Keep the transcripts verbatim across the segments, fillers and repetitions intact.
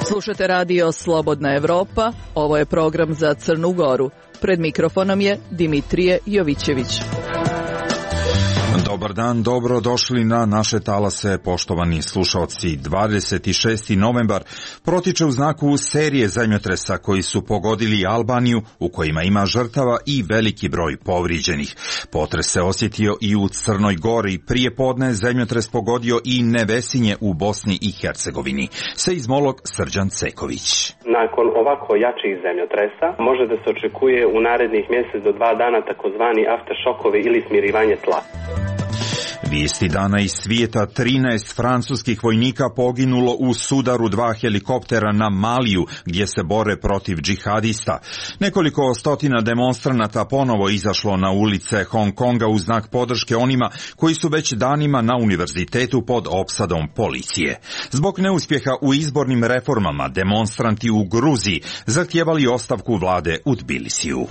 Slušate radio Slobodna Evropa, ovo je program za Crnu Goru. Pred mikrofonom je Dimitrije Jovićević. Dobar dan, dobro došli na naše talase, poštovani slušalci. dvadeset šesti novembar protiče u znaku serije zemljotresa koji su pogodili Albaniju, u kojima ima žrtava i veliki broj povrijeđenih. Potres se osjetio i u Crnoj Gori. Prije podne zemljotres pogodio i Nevesinje u Bosni i Hercegovini. Seizmolog Srđan Ceković. Nakon ovako jačih zemljotresa može da se očekuje u narednih mjesec do dva dana takozvani afteršokovi ili smirivanje tla. Vijesti dana iz svijeta: trinaest francuskih vojnika poginulo u sudaru dva helikoptera na Maliju, gdje se bore protiv džihadista. Nekoliko stotina demonstranata ponovo izašlo na ulice Hong Konga u znak podrške onima koji su već danima na univerzitetu pod opsadom policije. Zbog neuspjeha u izbornim reformama, demonstranti u Gruziji zahtijevali ostavku vlade u Tbilisiju.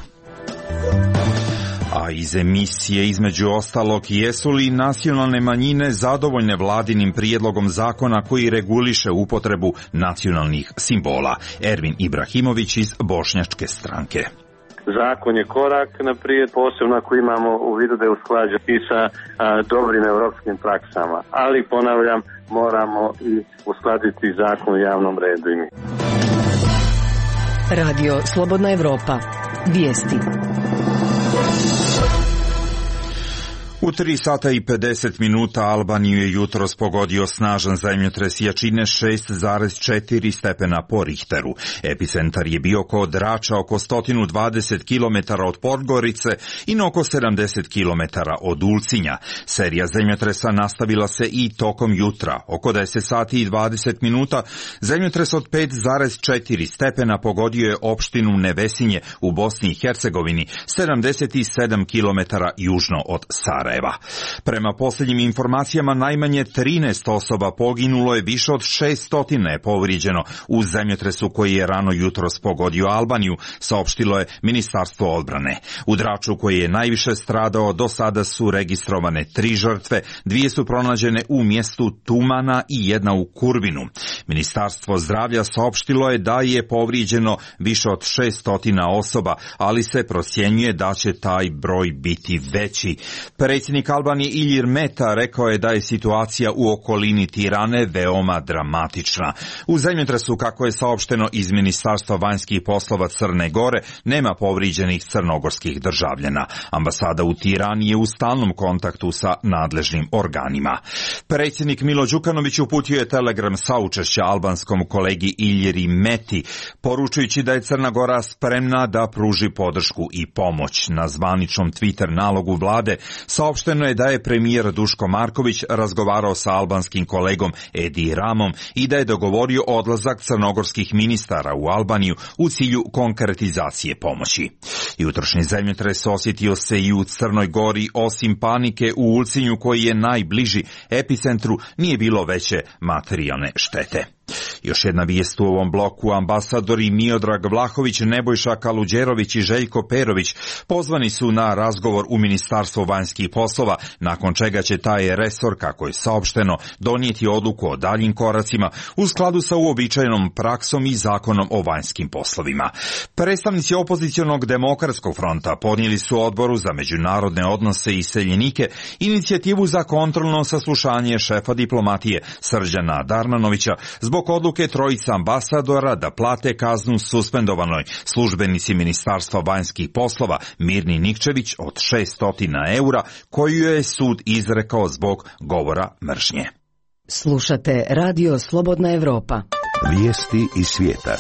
A iz emisije između ostalog, jesu li nacionalne manjine zadovoljne vladinim prijedlogom zakona koji reguliše upotrebu nacionalnih simbola? Ervin Ibrahimović iz Bošnjačke stranke. Zakon je korak naprijed, posebno ako imamo u vidu da je usklađen i sa a, dobrim europskim praksama. Ali, ponavljam, moramo i uskladiti zakon o javnom redu i mi. Radio Slobodna Evropa. Vijesti. U tri sata i pedeset minuta Albaniju je jutros pogodio snažan zemljotres jačine šest zarez četiri stepena po Richteru. Epicentar je bio kod Drača, oko sto dvadeset kilometara od Podgorice i na oko sedamdeset kilometara od Ulcinja. Serija zemljotresa nastavila se i tokom jutra. Oko deset sati i dvadeset minuta zemljotres od pet zarez četiri stepena pogodio je opštinu Nevesinje u Bosni i Hercegovini, sedamdeset sedam kilometara južno od Sarajeva. Prema posljednjim informacijama, najmanje trinaest osoba poginulo je, više od šesnaest je povrijeđeno u zemljotresu koji je rano jutros pogodio Albaniju, saopštilo je Ministarstvo odbrane. U Draču, koji je najviše stradao, do sada su registrovane tri žrtve, dvije su pronađene u mjestu Tumana i jedna u Kurbinu. Ministarstvo zdravlja saopštilo je da je povrijeđeno više od šesnaest osoba, ali se procjenjuje da će taj broj biti veći. Predsjednik Albanije Ilir Meta rekao je da je situacija u okolini Tirane veoma dramatična. U zemljotresu, kako je saopšteno iz Ministarstva vanjskih poslova Crne Gore, nema povrijeđenih crnogorskih državljana. Ambasada u Tirani je u stalnom kontaktu sa nadležnim organima. Predsjednik Milo Đukanović uputio je telegram saučešća albanskom kolegi Iljiri Meti, poručujući da je Crna Gora spremna da pruži podršku i pomoć. Na zvaničnom Twitter nalogu vlade saopšteno je da je premijer Duško Marković razgovarao sa albanskim kolegom Edi Ramom i da je dogovorio odlazak crnogorskih ministara u Albaniju u cilju konkretizacije pomoći. Jutrošnji zemljotres osjetio se i u Crnoj Gori. Osim panike u Ulcinju, koji je najbliži epicentru, nije bilo veće materijalne štete. Još jedna vijest u ovom bloku: ambasadori Miodrag Vlahović, Nebojša Kaluđerović i Željko Perović pozvani su na razgovor u Ministarstvo vanjskih poslova, nakon čega će taj resor, kako je saopšteno, donijeti odluku o daljim koracima u skladu sa uobičajenom praksom i zakonom o vanjskim poslovima. Predstavnici opozicionog Demokratskog fronta podnijeli su Odboru za međunarodne odnose i iseljenike inicijativu za kontrolno saslušanje šefa diplomatije Srđana Darmanovića zbog odluke trojica ambasadora da plate kaznu suspendovanoj službenici Ministarstva vanjskih poslova Mirni Nikčević od šesnaest eura, koju je sud izrekao zbog govora mržnje. Slušate Radio Slobodna Evropa. Vijesti iz svijeta.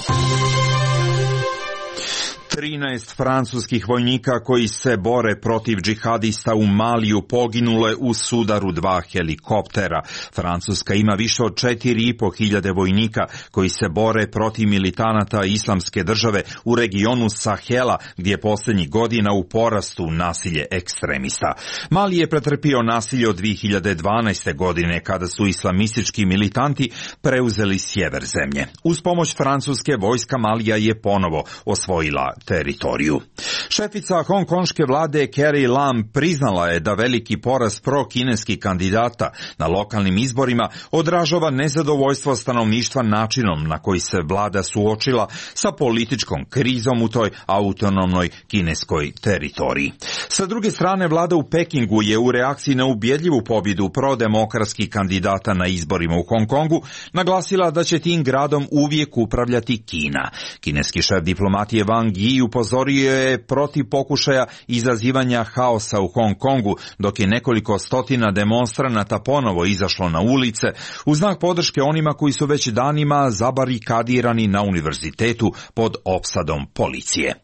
trinaest francuskih vojnika koji se bore protiv džihadista u Maliju poginulo je u sudaru dva helikoptera. Francuska ima više od četiri i po hiljade vojnika koji se bore protiv militanata Islamske države u regionu Sahela, gdje je posljednjih godina u porastu nasilje ekstremista. Mali je pretrpio nasilje od dvije hiljade dvanaeste. godine, kada su islamistički militanti preuzeli sjever zemlje. Uz pomoć Francuske, vojska Malija je ponovo osvojila teritoriju. Šefica hongkonške vlade Carrie Lam priznala je da veliki poraz pro-kineskih kandidata na lokalnim izborima odražava nezadovoljstvo stanovništva načinom na koji se vlada suočila sa političkom krizom u toj autonomnoj kineskoj teritoriji. Sa druge strane, vlada u Pekingu je u reakciji na ubjedljivu pobjedu prodemokratskih kandidata na izborima u Hong Kongu naglasila da će tim gradom uvijek upravljati Kina. Kineski šef diplomatije Wang Yi upozorio je protiv pokušaja izazivanja haosa u Hong Kongu, dok je nekoliko stotina demonstranata ponovo izašlo na ulice u znak podrške onima koji su već danima zabarikadirani na univerzitetu pod opsadom policije.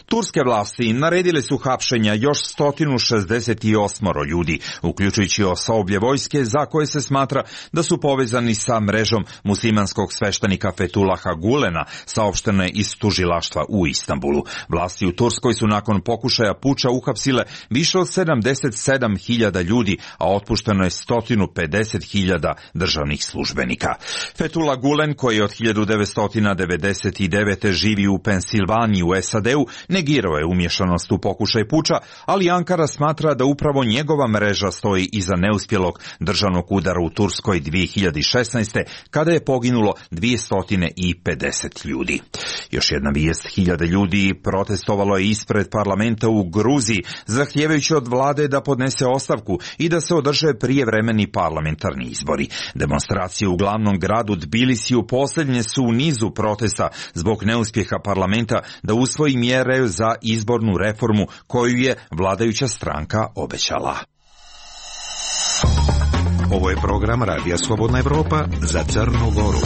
Turske vlasti naredile su hapšenja još sto šezdeset osam ljudi, uključujući osoblje vojske za koje se smatra da su povezani sa mrežom muslimanskog sveštenika Fetulaha Gulena, saopšteno je iz tužilaštva u Istanbulu. Vlasti u Turskoj su nakon pokušaja puča uhapsile više od sedamdeset sedam hiljada ljudi, a otpušteno je sto pedeset hiljada državnih službenika. Fethullah Gulen, koji od hiljadu devetsto devedeset devete živi u Pensilvaniji u S A D-u, negirao je umješanost u pokušaj puča, ali Ankara smatra da upravo njegova mreža stoji iza neuspjelog državnog udara u Turskoj dvije hiljade šesnaeste. kada je poginulo dvjesto pedeset ljudi. Još jedna vijest, hiljade ljudi protestovalo je ispred parlamenta u Gruziji, zahtijevajući od vlade da podnese ostavku i da se održe prijevremeni parlamentarni izbori. Demonstracije u glavnom gradu Tbilisiju posljednje su u nizu protesta zbog neuspjeha parlamenta da usvoji mjere za izbornu reformu koju je vladajuća stranka obećala. Ovo je program Radija Slobodna Evropa za Crnu Goru.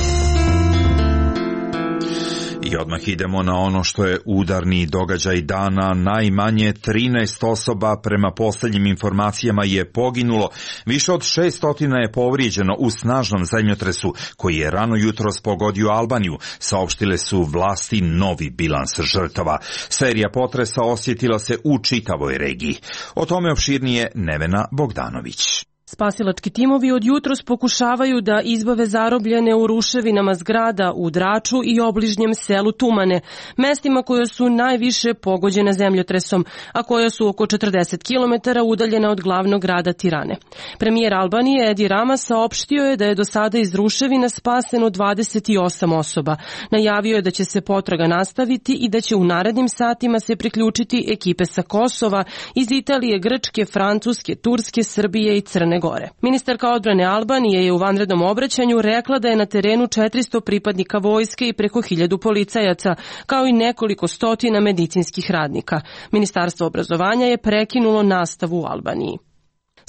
I odmah idemo na ono što je udarni događaj dana. Najmanje trinaest osoba prema posljednjim informacijama je poginulo, više od šeststo je povrijeđeno u snažnom zemljotresu koji je rano jutros pogodio Albaniju, saopštile su vlasti novi bilans žrtava. Serija potresa osjetila se u čitavoj regiji. O tome opširnije Nevena Bogdanović. Spasilački timovi od jutros pokušavaju da izbave zarobljene u ruševinama zgrada u Draču i obližnjem selu Tumane, mestima koja su najviše pogođena zemljotresom, a koja su oko četrdeset kilometara udaljena od glavnog grada Tirane. Premijer Albanije Edi Rama saopštio je da je do sada iz ruševina spaseno dvadeset osam osoba. Najavio je da će se potraga nastaviti i da će u narednim satima se priključiti ekipe sa Kosova, iz Italije, Grčke, Francuske, Turske, Srbije i Crne Gore. Ministarka odbrane Albanije je u vanrednom obraćanju rekla da je na terenu četiristo pripadnika vojske i preko hiljadu policajaca, kao i nekoliko stotina medicinskih radnika. Ministarstvo obrazovanja je prekinulo nastavu u Albaniji.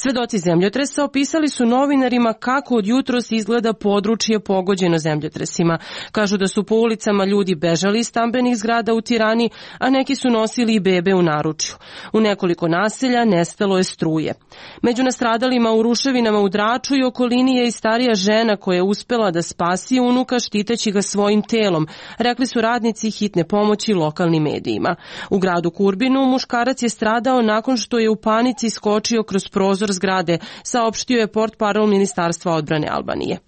Svedoci zemljotresa opisali su novinarima kako od jutros izgleda područje pogođeno zemljotresima. Kažu da su po ulicama ljudi bežali iz stambenih zgrada u Tirani, a neki su nosili i bebe u naručju. U nekoliko naselja nestalo je struje. Među nastradalima u ruševinama u Draču i okolini je i starija žena koja je uspela da spasi unuka štiteći ga svojim telom, rekli su radnici hitne pomoći lokalnim medijima. U gradu Kurbinu muškarac je stradao nakon što je u panici skočio kroz prozor zgrade, saopštio je portparol Ministarstva odbrane Albanije.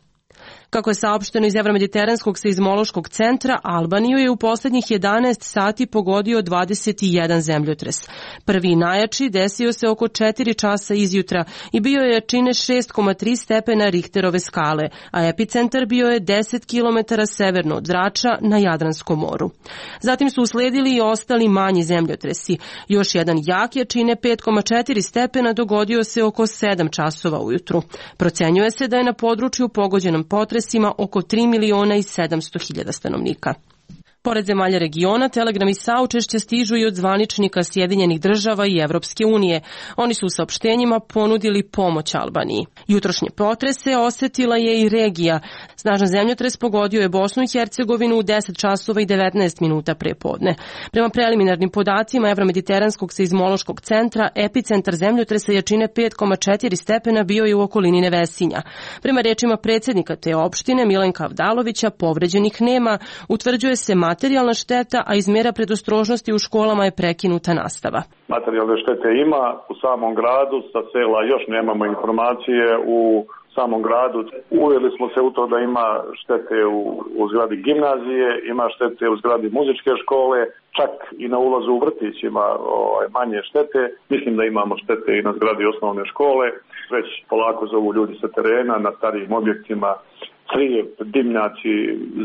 Kako je saopšteno iz Evromediteranskog seizmološkog centra, Albaniju je u posljednjih jedanaest sati pogodio dvadeset jedan zemljotres. Prvi najjači desio se oko četiri časa izjutra i bio je jačine šest zarez tri stepena Richterove skale, a epicentar bio je deset kilometara severno od Drača na Jadranskom moru. Zatim su usledili i ostali manji zemljotresi. Još jedan jak jačine pet zarez četiri stepena dogodio se oko sedam časova ujutru. Procenjuje se da je na području pogođenom potresom oko tri miliona i sedamsto hiljada stanovnika. Pored zemalja regiona, telegrami saučešća stižu i od zvaničnika Sjedinjenih država i Evropske unije. Oni su u saopštenjima ponudili pomoć Albaniji. Jutrošnje potrese osjetila je i regija. Snažan zemljotres pogodio je Bosnu i Hercegovinu u deset časova i devetnaest minuta pre podne. Prema preliminarnim podacima Evromediteranskog seizmološkog centra, epicentar zemljotresa jačine pet zarez četiri stepena bio je u okolini Nevesinja. Prema rečima predsjednika te opštine Milenka Avdalovića, povređenih nema, utvrđuje se materijalna šteta, a iz mjera predostrožnosti u školama je prekinuta nastava. Materijalne štete ima u samom gradu, sa sela još nemamo informacije, u samom gradu. Uveli smo se u to da ima štete u, u zgradi gimnazije, ima štete u zgradi muzičke škole, čak i na ulazu u vrtić ima ovaj, manje štete. Mislim da imamo štete i na zgradi osnovne škole. Već polako zovu ljudi sa terena, na starijim objektima, crijev, dimnjaci,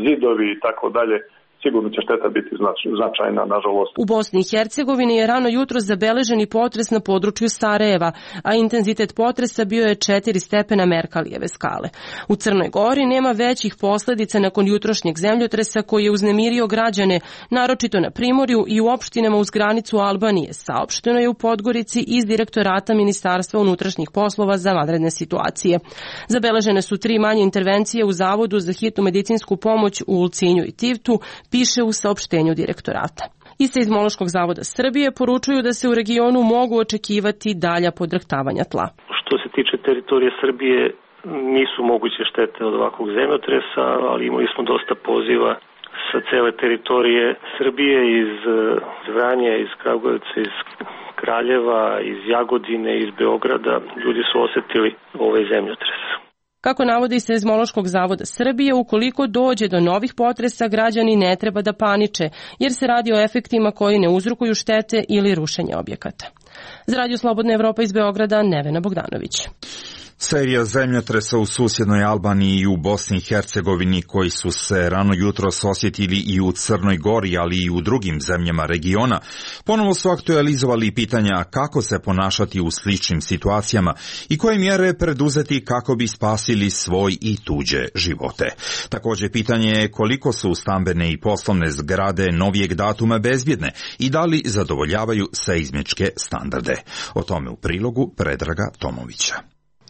zidovi i tako dalje. Sigurno će šteta biti značajna, nažalost. U Bosni i Hercegovini je rano jutro zabeležen i potres na području Sarajeva, a intenzitet potresa bio je četiri stepena Merkalijeve skale. U Crnoj Gori nema većih posledica nakon jutrošnjeg zemljotresa koji je uznemirio građane, naročito na Primorju i u opštinama uz granicu Albanije, saopšteno je u Podgorici iz Direktorata Ministarstva unutrašnjih poslova za vanredne situacije. Zabeležene su tri manje intervencije u Zavodu za hitnu medicinsku pomoć u Ulcinju i Tivtu, piše u saopštenju direktorata. Iz Seizmološkog zavoda Srbije poručuju da se u regionu mogu očekivati dalja podrhtavanja tla. Što se tiče teritorije Srbije, nisu moguće štete od ovakvog zemljotresa, ali imali smo dosta poziva sa cele teritorije Srbije, iz Vranja, iz Kragujevca, iz Kraljeva, iz Jagodine, iz Beograda. Ljudi su osetili ovaj zemljotres. Kako navodi Seizmološkog zavoda Srbije, ukoliko dođe do novih potresa, građani ne treba da paniče, jer se radi o efektima koji ne uzrokuju štete ili rušenje objekata. Za Radio Slobodna Evropa iz Beograda, Nevena Bogdanović. Serija zemljotresa u susjednoj Albaniji i u Bosni i Hercegovini koji su se rano jutros osjetili i u Crnoj Gori, ali i u drugim zemljama regiona, ponovo su aktualizovali pitanja kako se ponašati u sličnim situacijama i koje mjere preduzeti kako bi spasili svoj i tuđe živote. Također pitanje je koliko su stambene i poslovne zgrade novijeg datuma bezbjedne i da li zadovoljavaju seizmičke standarde. O tome u prilogu Predraga Tomovića.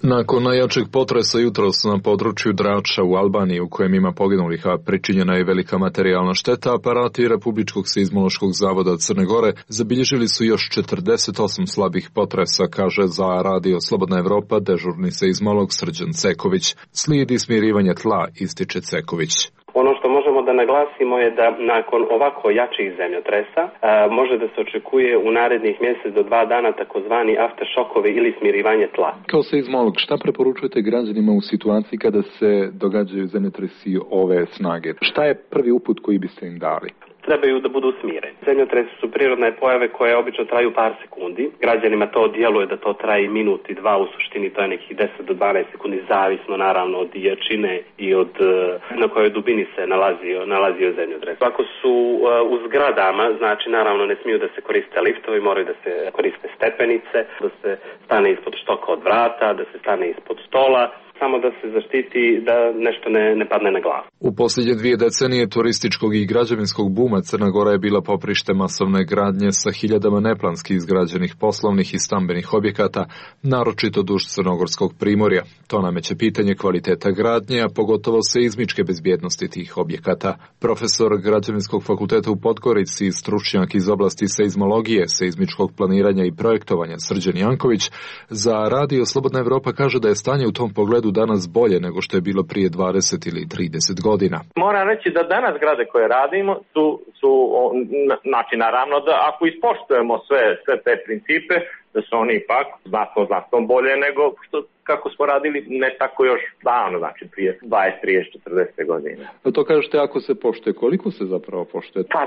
Nakon najjačeg potresa jutros na području Drača u Albaniji, u kojem ima poginulih, a pričinjena je velika materijalna šteta, aparati Republičkog seizmološkog zavoda Crne Gore zabilježili su još četrdeset osam slabih potresa, kaže za Radio Slobodna Evropa dežurni seizmolog Srđan Ceković. Slijedi smirivanje tla, ističe Ceković. Ono što možemo da naglasimo je da nakon ovako jačih zemljotresa a, može da se očekuje u narednih mjesec do dva dana takozvani afteršokovi ili smirivanje tla. Kao seizmolog, šta preporučujete građanima u situaciji kada se događaju zemljotresi ove snage? Šta je prvi uput koji biste im dali? Trebaju da budu smireni. Zemljotresi su prirodne pojave koje obično traju par sekundi. Građanima to djeluje da to traje minut i dva, u suštini to je nekih deset do dvanaest sekundi, zavisno naravno od jačine i od na kojoj dubini se nalazio, nalazio zemljotres. Ako su uh, u zgradama, znači naravno ne smiju da se koriste liftovi, moraju da se koriste stepenice, da se stane ispod štoka od vrata, da se stane ispod stola, samo da se zaštiti da nešto ne, ne padne na glavu. U posljednje dvije decenije turističkog i građevinskog buma Crna Gora je bila poprište masovne gradnje sa hiljadama neplanski izgrađenih poslovnih i stambenih objekata, naročito duž crnogorskog primorja. To nameće pitanje kvaliteta gradnje, a pogotovo seizmičke bezbjednosti tih objekata. Profesor Građevinskog fakulteta u Podgorici i stručnjak iz oblasti seizmologije, seizmičkog planiranja i projektovanja Srđan Janković za Radio Slobodna Evropa kaže da je stanje u tom pogledu danas bolje nego što je bilo prije dvadeset ili trideset godina. Moram reći da danas zgrade koje radimo su, su znači naravno da ako ispoštujemo sve, sve te principe, da su oni ipak znatno, znatno bolje nego što kako smo radili ne tako još davno, znači prije dvadeset, trideset, četrdeset godina. A to kažete ako se poštuje, koliko se zapravo poštuje? Pa,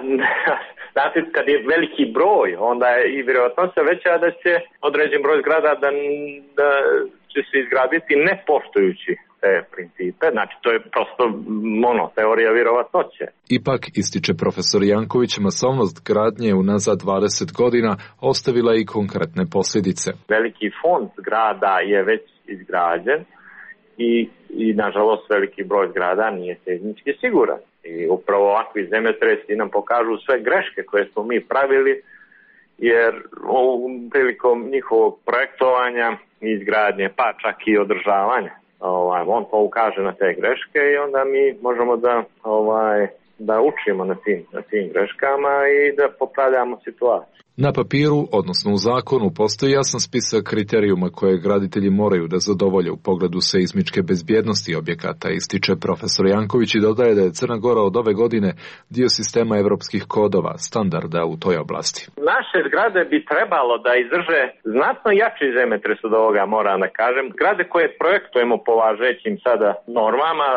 znate, kad je veliki broj, onda je i vjerojatnost veća da će određen broj zgrada da, da će se izgraditi ne poštujući te principe, znači to je prosto ono, teorija vjerovatnoće. Ipak, ističe profesor Janković, masovnost gradnje unazad dvadeset godina ostavila i konkretne posljedice. Veliki fond zgrada je već izgrađen i, i nažalost veliki broj zgrada nije seizmički siguran. I upravo ovakvi zemljotresi nam pokažu sve greške koje smo mi pravili, jer prilikom njihovog projektovanja i izgradnje, pa čak i održavanja, ovaj, on to ukaže na te greške i onda mi možemo da ovaj, da učimo na tim, na tim greškama i da popravljamo situaciju. Na papiru, odnosno u zakonu, postoji jasan spisak kriterijuma koje graditelji moraju da zadovolje u pogledu seizmičke bezbjednosti objekata, ističe profesor Janković i dodaje da je Crna Gora od ove godine dio sistema evropskih kodova, standarda u toj oblasti. Naše zgrade bi trebalo da izdrže znatno jači zemljotres od ovoga, moram da kažem. Zgrade koje projektujemo po važećim sada normama,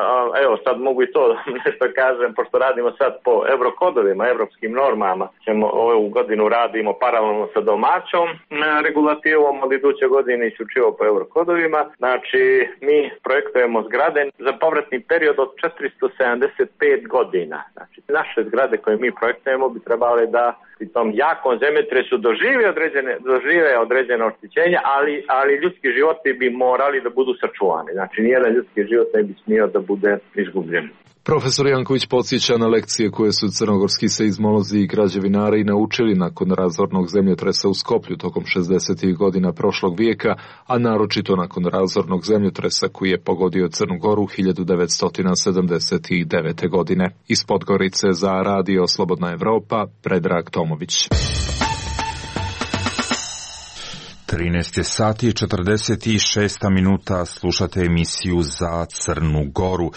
evo sad mogu i to nešto kažem, pošto radimo sad po eurokodovima, evropskim normama, ćemo ovu godinu radimo paralelno sa domaćom regulativom, od iduće godine isključivo po eurokodovima. Znači, mi projektujemo zgrade za povratni period od četiristo sedamdeset pet godina. Znači, naše zgrade koje mi projektujemo bi trebale da pri tom jakom zemljotresu dožive određene, dožive određene oštećenja, ali, ali ljudski životi bi morali da budu sačuvani. Znači, nijedan ljudski život ne bi smio da bude izgubljen. Profesor Janković podsjeća na lekcije koje su crnogorski seizmolozi i građevinari naučili nakon razornog zemljotresa u Skoplju tokom šezdesetih godina prošlog vijeka, a naročito nakon razornog zemljotresa koji je pogodio Crnu Goru hiljadu devetsto sedamdeset devete. godine. Iz Podgorice za Radio Slobodna Evropa, Predrag Tomović. trinaest sati i četrdeset šest minuta, slušate emisiju za Crnu Goru.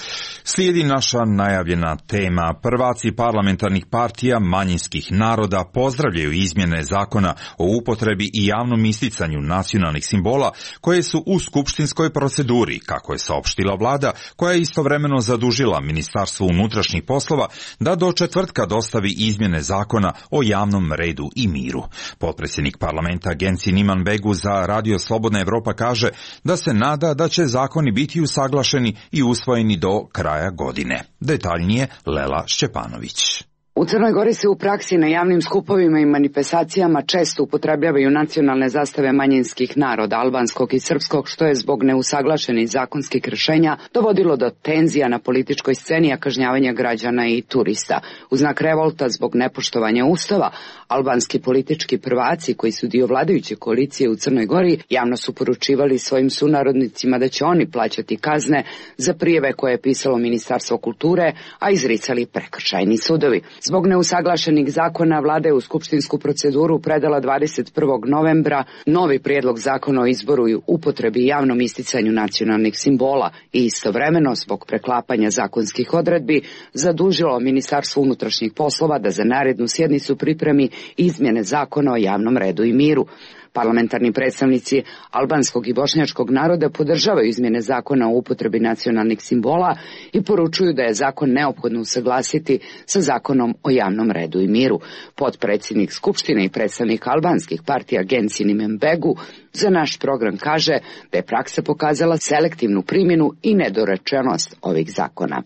Slijedi naša najavljena tema. Prvaci parlamentarnih partija manjinskih naroda pozdravljaju izmjene zakona o upotrebi i javnom isticanju nacionalnih simbola koje su u skupštinskoj proceduri, kako je saopštila vlada, koja je istovremeno zadužila Ministarstvo unutrašnjih poslova da do četvrtka dostavi izmjene zakona o javnom redu i miru. Potpredsjednik parlamenta Genci Niman Begu za Radio Slobodna Evropa kaže da se nada da će zakoni biti usaglašeni i usvojeni do kraja godine. Detaljnije Lela Šćepanović. U Crnoj Gori se u praksi na javnim skupovima i manifestacijama često upotrebljavaju nacionalne zastave manjinskih naroda, albanskog i srpskog, što je zbog neusaglašenih zakonskih rješenja dovodilo do tenzija na političkoj sceni, a kažnjavanja građana i turista. U znak revolta zbog nepoštovanja ustava, albanski politički prvaci koji su dio vladajuće koalicije u Crnoj Gori javno su poručivali svojim sunarodnicima da će oni plaćati kazne za prijeve koje je pisalo Ministarstvo kulture, a izricali prekršajni sudovi. Zbog neusaglašenih zakona, vlada je u skupštinsku proceduru predala dvadeset prvog novembra novi prijedlog zakona o izboru i upotrebi i javnom isticanju nacionalnih simbola i istovremeno, zbog preklapanja zakonskih odredbi, zadužilo Ministarstvo unutrašnjih poslova da za narednu sjednicu pripremi izmjene zakona o javnom redu i miru. Parlamentarni predstavnici albanskog i bošnjačkog naroda podržavaju izmjene zakona o upotrebi nacionalnih simbola i poručuju da je zakon neophodno usaglasiti sa zakonom o javnom redu i miru. Potpredsjednik Skupštine i predstavnik albanskih partija Genci Niman Begu za naš program kaže da je praksa pokazala selektivnu primjenu i nedorečenost ovih zakona.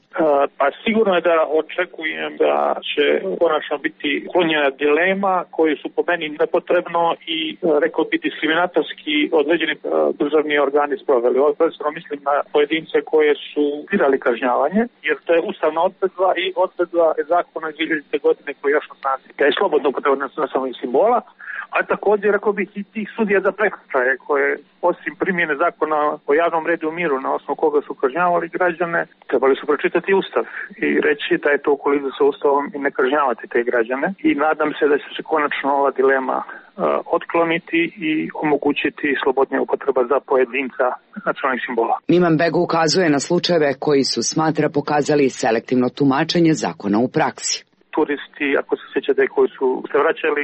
Pa sigurno je da očekujem da će konačno biti klonjena dilema koji su po meni nepotrebno i rekao bi diskriminatorski određeni državni organi sproveli. Ovo prvenstveno mislim na pojedince koje su birali kažnjavanje, jer to je ustavna odredba i odredba zakona iz dvije hiljadite. godine koji je još na snazi. Da je slobodno upotrebno nacionalnih simbola, a također rekao bih i tih sudija za prekršaje koje osim primjene zakona o javnom redu i miru na osnovu koga su kažnjavali građane, trebali su pročitati ustav i reći da je to u koliziji sa ustavom i ne kažnjavati te građane. I nadam se da će se konačno ova dilema uh, otkloniti i omogućiti slobodnija upotreba za pojedinca nacionalnih simbola. Niman Begu ukazuje na slučajeve koji su, smatra, pokazali selektivno tumačenje zakona u praksi. Turisti, ako se sjećate, koji su se vraćali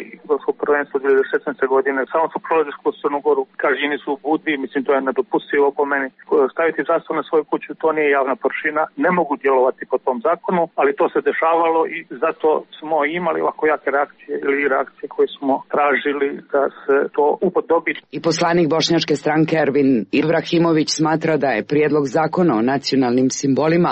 u prvenstvo dvije hiljade šesnaeste. godine, samo su prolazili kroz Crnu Goru, kažnjeni su u Budvi, mislim to je nedopustivo po meni. Staviti zastavu na svoju kuću, to nije javna površina, ne mogu djelovati po tom zakonu, ali to se dešavalo i zato smo imali ovako jake reakcije ili reakcije koje smo tražili da se to upodobi. I poslanik bošnjačke stranke Ervin Ibrahimović smatra da je prijedlog zakona o nacionalnim simbolima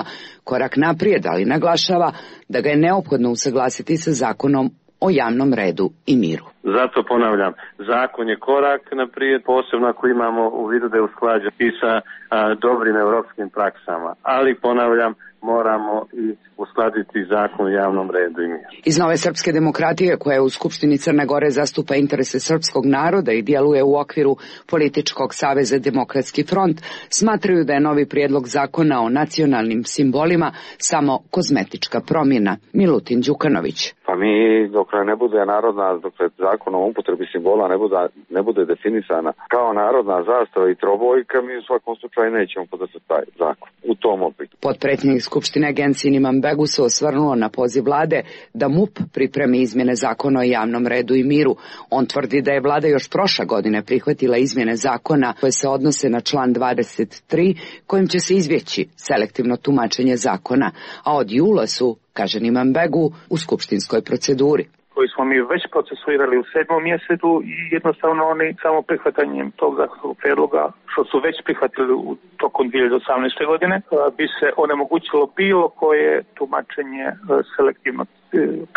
korak naprijed, ali naglašava da ga je neophodno usaglasiti sa zakonom o javnom redu i miru. Zato ponavljam, zakon je korak naprijed, posebno ako imamo u vidu da je usklađen i sa a, dobrim evropskim praksama, ali ponavljam, moramo i uskladiti zakon o javnom redu i miru. Iz Nove srpske demokratije, koja u Skupštini Crne Gore zastupa interese srpskog naroda i djeluje u okviru političkog saveza Demokratski front, smatraju da je novi prijedlog zakona o nacionalnim simbolima samo kozmetička promjena. Milutin Đukanović. Pa mi dok ne bude narodna, dok zakon o upotrebi simbola ne bude, ne bude definisana kao narodna zastava i trobojka, mi u svakom slučaju nećemo podržati taj zakon u tom obliku. Potpredsjednik Skupštine Gensin Imanbegu se osvrnuo na poziv vlade da M U P pripremi izmjene zakona o javnom redu i miru. On tvrdi da je vlada još prošle godine prihvatila izmjene zakona koje se odnose na član dvadeset tri, kojim će se izbjeći selektivno tumačenje zakona, a od jula su, kaže Imanbegu, u skupštinskoj proceduri. Koji smo mi već procesuirali u sedmom mjesecu i jednostavno oni samo prihvatanjem tog zakonskog prijedloga, što su već prihvatili u tokom dvije hiljade osamnaeste. godine, bi se onemogućilo bilo koje tumačenje selektivno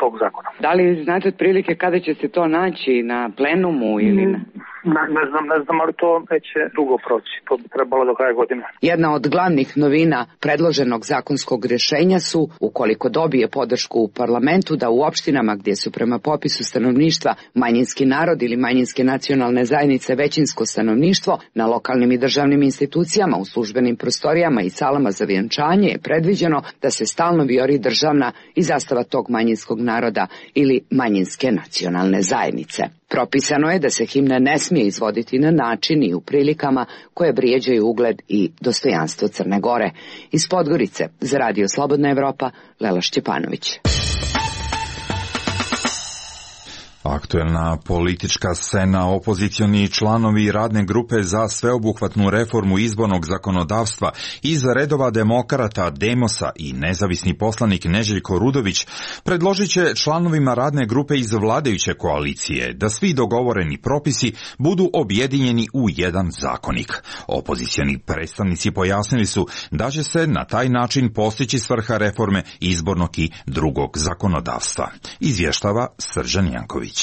tog zakona. Da li znate otprilike kada će se to naći na plenumu ili na... Ne, ne znam, ne znam, ali to neće dugo proći. To bi trebalo do kraja godine. Jedna od glavnih novina predloženog zakonskog rješenja su, ukoliko dobije podršku u parlamentu, da u opštinama gdje su prema popisu stanovništva manjinski narod ili manjinske nacionalne zajednice većinsko stanovništvo, na lokalnim i državnim institucijama, u službenim prostorijama i salama za vjenčanje je predviđeno da se stalno vijori državna i zastava tog manjinskog naroda ili manjinske nacionalne zajednice. Propisano je da se himna ne smije izvoditi na način i u prilikama koje vrijeđaju ugled i dostojanstvo Crne Gore. Iz Podgorice, za Radio Slobodna Evropa, Lela Šćepanović. Aktuelna politička scena, opozicioni članovi radne grupe za sveobuhvatnu reformu izbornog zakonodavstva iz redova demokrata, Demosa i nezavisni poslanik Neželjko Rudović predložit će članovima radne grupe iz vladajuće koalicije da svi dogovoreni propisi budu objedinjeni u jedan zakonik. Opozicioni predstavnici pojasnili su da će se na taj način postići svrha reforme izbornog i drugog zakonodavstva. Izvještava Srđan Janković.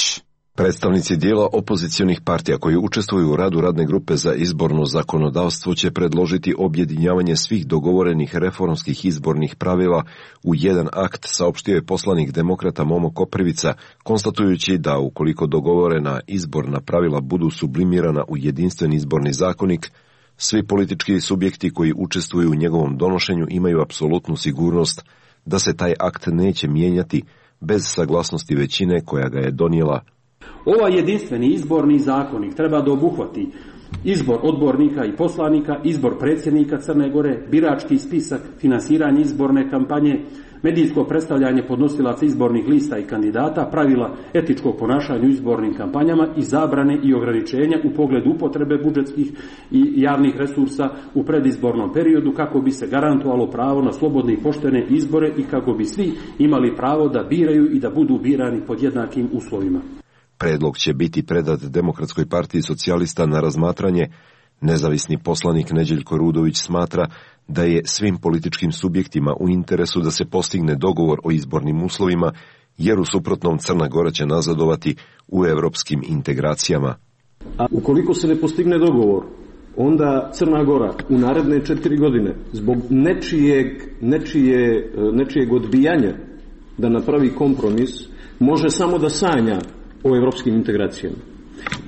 Predstavnici dijela opozicionih partija koji učestvuju u radu radne grupe za izborno zakonodavstvo će predložiti objedinjavanje svih dogovorenih reformskih izbornih pravila u jedan akt, saopštio je poslanik demokrata Momo Koprivica, konstatujući da ukoliko dogovorena izborna pravila budu sublimirana u jedinstveni izborni zakonik, svi politički subjekti koji učestvuju u njegovom donošenju imaju apsolutnu sigurnost da se taj akt neće mijenjati bez saglasnosti većine koja ga je donijela. Ovaj jedinstveni izborni zakonik treba da obuhvati izbor odbornika i poslanika, izbor predsjednika Crne Gore, birački spisak, finansiranje izborne kampanje, medijsko predstavljanje podnosilaca izbornih lista i kandidata, pravila etičkog ponašanja u izbornim kampanjama i zabrane i ograničenja u pogledu upotrebe budžetskih i javnih resursa u predizbornom periodu kako bi se garantovalo pravo na slobodne i poštene izbore i kako bi svi imali pravo da biraju i da budu birani pod jednakim uslovima. Predlog će biti predat Demokratskoj partiji socijalista na razmatranje. Nezavisni poslanik Neželjko Rudović smatra da je svim političkim subjektima u interesu da se postigne dogovor o izbornim uslovima, jer u suprotnom Crna Gora će nazadovati u evropskim integracijama. A ukoliko se ne postigne dogovor, onda Crna Gora u naredne četiri godine zbog nečijeg, nečije, nečijeg odbijanja da napravi kompromis može samo da sanja o evropskim integracijama.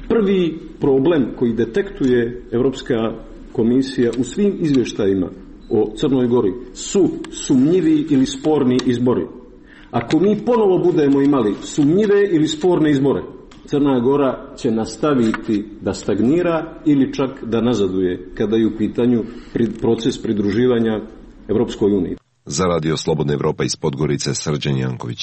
Prvi problem koji detektuje Evropska komisija u svim izvještajima o Crnoj Gori su sumnjivi ili sporni izbori. Ako mi ponovo budemo imali sumnjive ili sporne izbore, Crna Gora će nastaviti da stagnira ili čak da nazaduje kada je u pitanju proces pridruživanja Evropskoj uniji. Za Radio Slobodna Evropa iz Podgorice, Srđan Janković.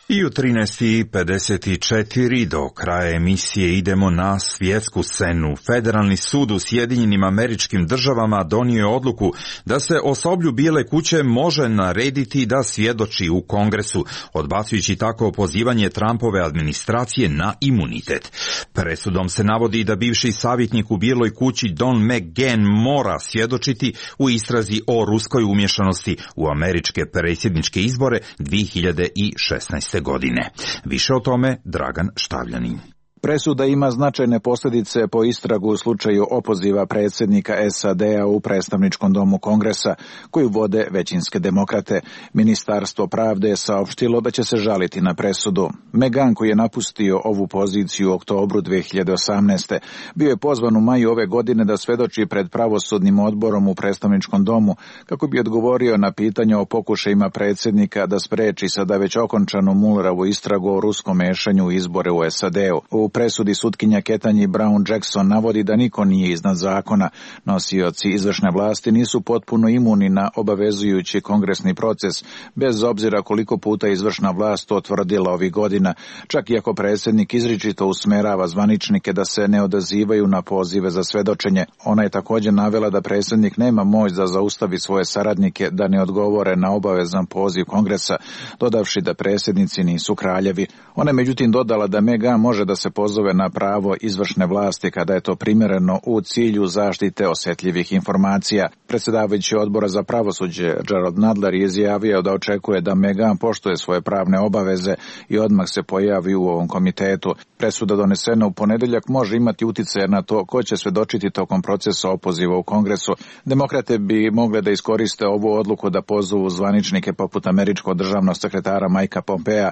I u trinaest i pedeset četiri do kraja emisije idemo na svjetsku scenu. Federalni sud u Sjedinjenim Američkim Državama donio je odluku da se osoblju Bijele kuće može narediti da svjedoči u Kongresu, odbacujući tako pozivanje Trumpove administracije na imunitet. Presudom se navodi da bivši savjetnik u Bijeloj kući Don McGahn mora svjedočiti u istrazi o ruskoj umješanosti u američke predsjedničke izbore dvije hiljade šesnaeste. godine. Više o tome Dragan Štavljanin. Presuda ima značajne posljedice po istragu u slučaju opoziva predsjednika S A D-a u predstavničkom domu Kongresa, koju vode većinske demokrate. Ministarstvo pravde je saopštilo da će se žaliti na presudu. McGahn, koji je napustio ovu poziciju u oktobru dvije hiljade osamnaeste. bio je pozvan u maju ove godine da svedoči pred pravosudnim odborom u predstavničkom domu, kako bi odgovorio na pitanja o pokušajima predsjednika da spreči sada već okončanu Muellerovu istragu o ruskom mešanju u izbore u S A D-u. U presudi sutkinja Ketanji Brown Jackson navodi da niko nije iznad zakona. Nosioci izvršne vlasti nisu potpuno imuni na obavezujući kongresni proces, bez obzira koliko puta izvršna vlast to tvrdila ovih godina, čak i ako predsjednik izričito usmerava zvaničnike da se ne odazivaju na pozive za svedočenje. Ona je također navela da predsjednik nema moć da zaustavi svoje saradnike da ne odgovore na obavezan poziv Kongresa, dodavši da predsjednici nisu kraljevi. Ona je međutim dodala da McGahn može da se pozove na pravo izvršne vlasti kada je to primjereno u cilju zaštite osjetljivih informacija. Predsjedavajući odbora za pravosuđe Gerald Nadler je izjavio da očekuje da McGahn poštuje svoje pravne obaveze i odmah se pojavi u ovom komitetu. Presuda donesena u ponedjeljak može imati utjecaj na to ko će svedočiti tokom procesa opoziva u Kongresu. Demokrate bi mogle da iskoriste ovu odluku da pozovu zvaničnike poput američkog državnog sekretara Mikea Pompea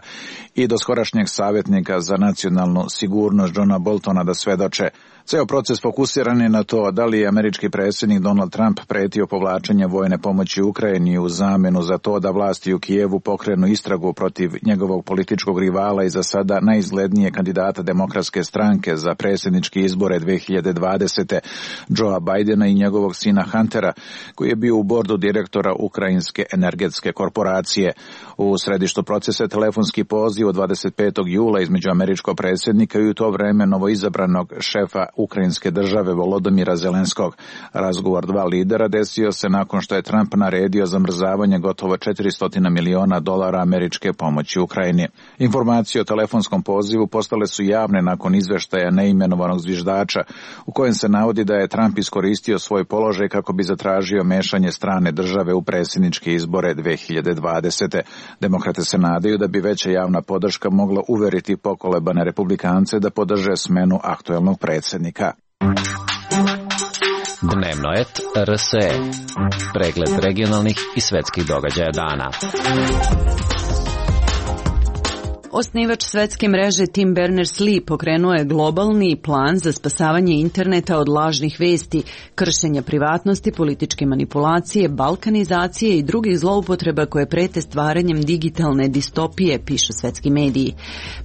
i doskorašnjeg savjetnika za nacionalnu sigurnost Johna Boltona da svedoče. Ceo proces fokusiran je na to da li je američki predsjednik Donald Trump pretio povlačenje vojne pomoći Ukrajini u zamjenu za to da vlasti u Kijevu pokrenu istragu protiv njegovog političkog rivala i za sada najizglednije kandidata demokratske stranke za predsjedničke izbore dvije hiljade dvadesete. Joea Bidena i njegovog sina Huntera, koji je bio u bordu direktora Ukrajinske energetske korporacije. U središtu procesa je telefonski poziv od dvadeset petog jula između američkog predsjednika i u to vreme novoizabranog šefa Ukrajinske države Volodymyra Zelenskog. Razgovor dva lidera desio se nakon što je Trump naredio zamrzavanje gotovo četiristo miliona dolara američke pomoći Ukrajini. Informacije o telefonskom pozivu postale su javne nakon izveštaja neimenovanog zviždača, u kojem se navodi da je Trump iskoristio svoj položaj kako bi zatražio mešanje strane države u predsjedničke izbore dvije hiljade dvadesete. Demokrate se nadaju da bi veća javna podrška mogla uveriti pokolebane republikance da podrže smenu aktuelnog predsjednika. Dnevno et R S E. Pregled regionalnih i svetskih događaja dana. Osnivač svetske mreže Tim Berners-Lee pokrenuo je globalni plan za spasavanje interneta od lažnih vesti, kršenja privatnosti, političke manipulacije, balkanizacije i drugih zloupotreba koje prete stvaranjem digitalne distopije, pišu svetski mediji.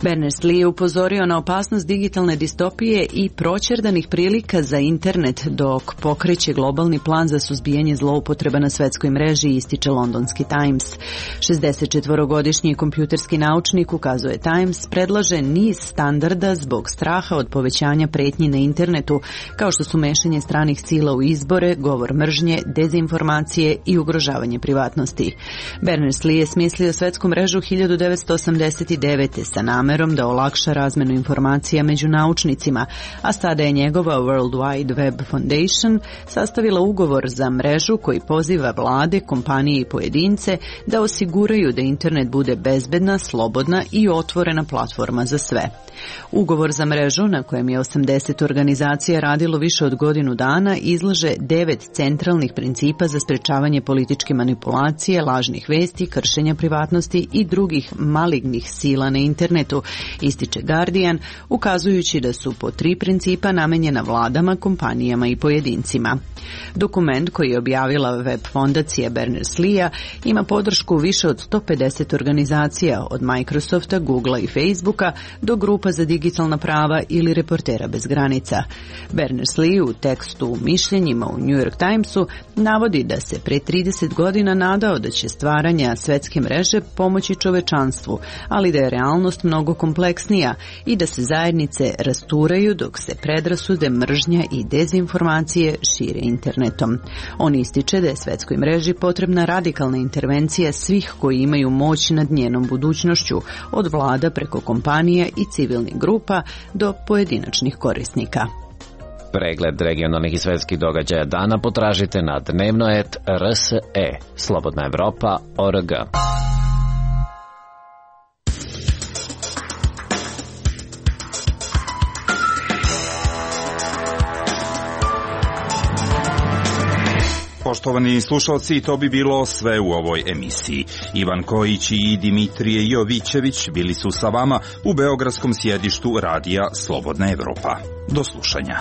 Berners-Lee je upozorio na opasnost digitalne distopije i proćerdanih prilika za internet dok pokreće globalni plan za suzbijanje zloupotreba na svetskoj mreži, ističe londonski Times. šezdesetčetvorogodišnji kompjuterski naučnik ukazuje Times predlaže niz standarda zbog straha od povećanja pretnji na internetu, kao što su mešanje stranih sila u izbore, govor mržnje, dezinformacije i ugrožavanje privatnosti. Berners-Lee je smislio svetsku mrežu hiljadu devetsto osamdeset devete. sa namerom da olakša razmenu informacija među naučnicima, a sada je njegova World Wide Web Foundation sastavila ugovor za mrežu koji poziva vlade, kompanije i pojedince da osiguraju da internet bude bezbedna, slobodna i otvorena platforma za sve. Ugovor za mrežu, na kojem je osamdeset organizacija radilo više od godinu dana, izlaže devet centralnih principa za sprečavanje političke manipulacije, lažnih vesti, kršenja privatnosti i drugih malignih sila na internetu, ističe Guardian, ukazujući da su po tri principa namenjena vladama, kompanijama i pojedincima. Dokument koji je objavila web fondacija Berners-Leea ima podršku više od sto pedeset organizacija, od Microsofta, Googla i Facebooka do grupa za digitalna prava ili Reportera bez granica. Berners-Lee u tekstu mišljenjima u New York Timesu navodi da se pre trideset godina nadao da će stvaranja svetske mreže pomoći čovečanstvu, ali da je realnost mnogo kompleksnija i da se zajednice rasturaju dok se predrasude, mržnja i dezinformacije šire internetom. On ističe da je svetskoj mreži potrebna radikalna intervencija svih koji imaju moć nad njenom budućnošću, od vlada preko kompanija i civilnih grupa do pojedinačnih korisnika. Pregled regionalnih i svetskih događaja dana potražite na dnevnoet R S E, Slobodna Evropa, O R G. Poštovani slušalci, to bi bilo sve u ovoj emisiji. Ivan Kojić i Dimitrije Jovićević bili su sa vama u beogradskom sjedištu radija Slobodna Evropa. Do slušanja.